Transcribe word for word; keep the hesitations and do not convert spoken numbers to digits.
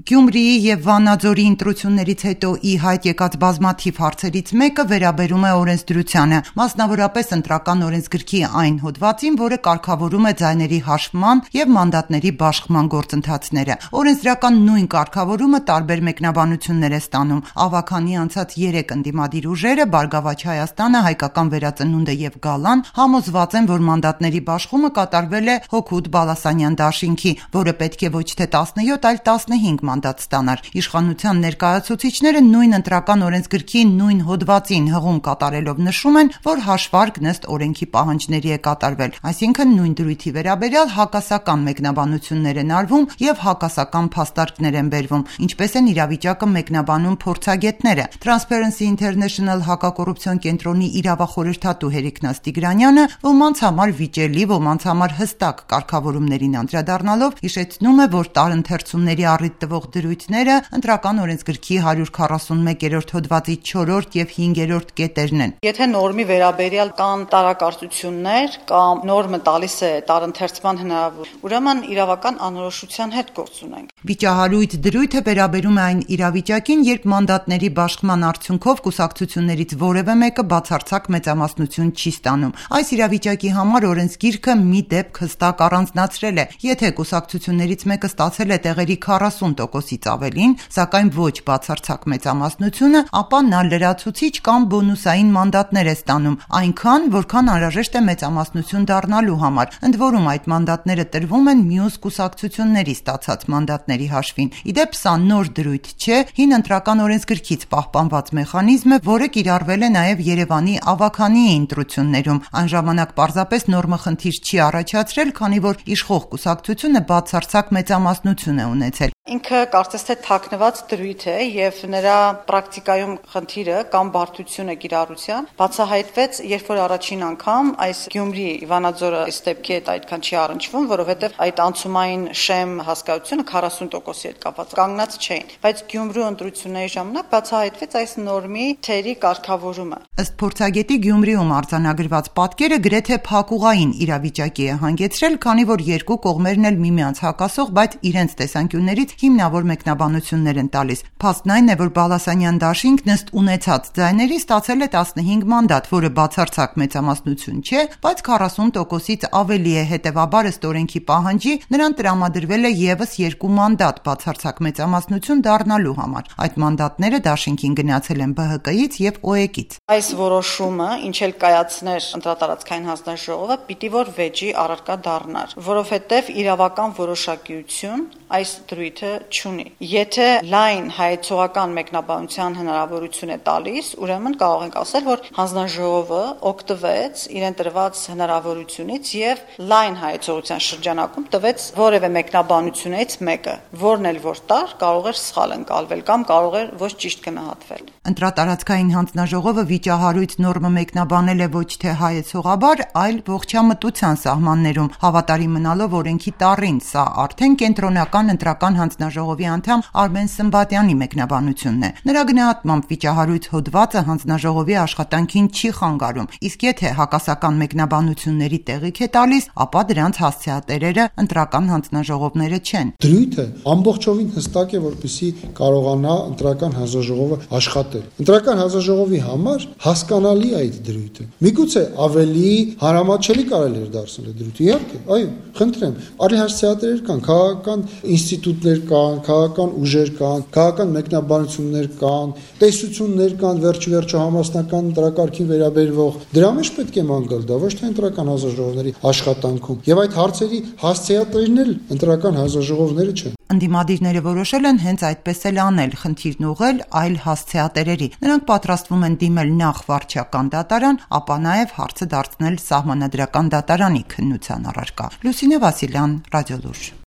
Գյումրիի եւ Վանաձորի ընտրություններից հետո ի հայտ եկած բազմաթիվ հարցերից մեկը վերաբերում է օրենսդրությանը, մասնավորապես ընտրական օրենսգրքի այն հոդվածին, որը կարգավորում է ձայների հաշվման եւ մանդատների բաշխման գործընթացները։ Օրենսդրական նույն կարգավորումը տարբեր մեկնաբանություններ է ստանում։ Ավագանի անցած երեք ընդդիմադիր ուժերը՝ Բարգավաճ Հայաստանը, Հայկական վերածնունդը եւ Գալան, համոզված են, որ մանդատների բաշխումը կատարվել է Հոքուտ Բալասանյան դաշինքի, որը պետք է ոչ թե տասնյոթ, այլ տասնհինգ մանդատ ստանար։ Իշխանության ներկայացուցիչները նույն ընտրական օրենսգրքի նույն հոդվածին հղում կատարելով նշում են, որ հաշվարկ ըստ օրենքի պահանջների է կատարվել, այսինքն նույն դրույթի վերաբերյալ հակասական մեկնաբանություններ են արվում եւ հակասական փաստարկներ են բերվում, ինչպես են իրավիճակը մեկնաբանում փորձագետները։ Transparency International հակակոռուպցիոն կենտրոնի իրավախորհրդատու Հերիկնաս Տիգրանյանը ոմանց համար վիճելի, ոմանց համար հստակ կարգավորումներին անդրադառնալով հիշեցնում է, որ տարընթերցումների առիթ տվող դրույթները ընտրական օրենսգրքի հարյուր քառասունմեկերորդ հոդվածի չորրորդ եւ հինգերորդ կետերն են։ Եթե նորմի վերաբերյալ կան տարակարծություններ կամ նորմը տալիս է տարընթերցման հնարավորություն, ուրեմն իրավական անորոշության հետ գործ ունենք։ Վիճահարույց դրույթը վերաբերում է այն իրավիճակին, երբ մանդատների բաշխման արդյունքով կուսակցություններից որևէ մեկը բացարձակ մեծամասնություն չի ստանում։ Այս իրավիճակի համար օրենսգիրքը մի դեպք հստակ առանձնացրել է։ Եթե կուսակցություններից մեկը ստացել է տեղերի քառասուն տոկոսից ավելին, սակայն ոչ բացարձակ մեծամասնությունը, ապա նա լրացուցիչ կամ բոնուսային մանդատներ է ստանում, այնքան, որքան անհրաժեշտ է մեծամասնություն դառնալու համար։ Ընդ որում այդ մանդատները տրվում են մյուս կուսակցությունների ստացած մանդատների հաշվին։ Ի դեպ, սա նոր դրույթ չէ, հին ընտրական օրենսգրքից պահպանված մեխանիզմ է, որը կիրառվել է նաև Երևանի ավագանիի ընտրություններում։ Այն ժամանակ պարզապես նորմը խնդիր չի առաջացրել, քանի որ իշխող կուսակցությունը բացարձակ մեծամասնություն է ունեցել։ Ինքը կարծես թե թաքնված դրույթ է եւ նրա պրակտիկայում խնդիրը կամ բարդությունը կիրառության բացահայտվեց, երբ որ առաջին անգամ այս Գյումրի Վանաձորը այս դեպքի հետ այդքան չի առնչվում, որովհետեւ այդ անցումային շեմ հասկացությունը քառասուն տոկոսի հետ կապված կանգնած չէին, բայց Գյումրու ընտրությունների ժամանակ բացահայտվեց այս նորմի թերի կարգավորումը։ Ըստ փորձագետի Գյումրիում արձանագրված պատկերը գրեթե փակուղային իրավիճակի է հանգեցրել, քանի որ երկու կողմերն էլ միմյանց հակասող, բայց իրենց տեսանկյուններից հիմնավոր մեկնաբանություններ են տալիս։ Փաստն այն է, որ Բալասանյան դաշինքն ըստ ունեցած ձայների ստացել է տասնհինգ մանդատ, որը բացարձակ մեծամասնություն չէ, բայց քառասուն տոկոսից ավելի է, հետևաբար ըստ օրենքի պահանջի նրան տրամադրվել է եւս երկու մանդատ բացարձակ մեծամասնություն դառնալու համար։ Այդ մանդատները դաշինքին գնացել են Բ Հ Կ-ից եւ Օ E K-ից։ Այս որոշումը, ինչ էլ կայացներ ընտրատարածքային հանձնաժողովը, պիտի որ վեճի առարկա դառնար, որովհետեւ իրավական որոշակիություն այս դրույթը չունի։ Եթե լայն հայեցողական մեկնաբանության հնարավորություն է տալիս, ուրեմն կարող ենք ասել, որ հանձնաժողովը օգտվեց իրեն տրված հնարավորությունից եւ լայն հայեցողության շրջանակում տվեց որևէ մեկնաբանությունից մեկը, որն էլ որ տար, կարող էր սխալ ընկալվել կամ կարող էր ոչ ճիշտ գնահատվել։ Ընտրատարածքային հանձնաժողովը վիճահարույց նորմը մեկնաբանել է ոչ թե հայեցողաբար, այլ ողջամտության սահմաններում, հավատարիմ մնալով օրենքի տառին։ Սա արդեն կենտրոնական ընտրական հանձնաժողովի անդամ Արմեն Սմբատյանի մեկնաբանությունն է։ Նրա գնահատմամբ վիճահարույց հոդվածը հանձնաժողովի աշխատանքին չի խանգարում, իսկ եթե հակասական մեկնաբանությունների տեղիք է տալիս, ապա դրանց հասցեատերերը ընտրական հանձնաժողովները չեն։ Դրույթը ամբողջովին հստակ է, որպեսզի կարողանա ընտրական հանձնաժողովը աշխատել։ Ընտրական հանձնաժողովի համար հասկանալի է այդ դրույթը։ Միգուցե ավելի հարամատչելի կարելի էր դարձնել այդ դրույթը։ Իհարկե, այո, խնդրեմ, արի հասցեատերեր կան, քաղաքական ինստիտուտներ կան, քաղաքական ուժեր կան, քաղաքական մեկնաբանություններ կան, տեսություններ կան, վերջ-վերջո համասնական ընտրակարգին վերաբերվող։ Դրա մեջ պետք է ման գալ դա, ոչ թե ընտրական հանձնաժողովների աշխատանքում։ Եվ այդ հարցերի հասցեատերերն էլ ընտրական հանձնաժողովները չեն։ Ընդդիմադիրները որոշել են հենց այդպես էլ անել, խնդիրն ուղղել այլ հասցեատերերի։ Նրանք պատրաստվում են դիմել նախ վարչական դատարան, ապա նաև հարցը դարձնել սահմանադրական դատարանի քննության առարկա։ Լուսինե Վասիլյան, Ռադիոլուրջ։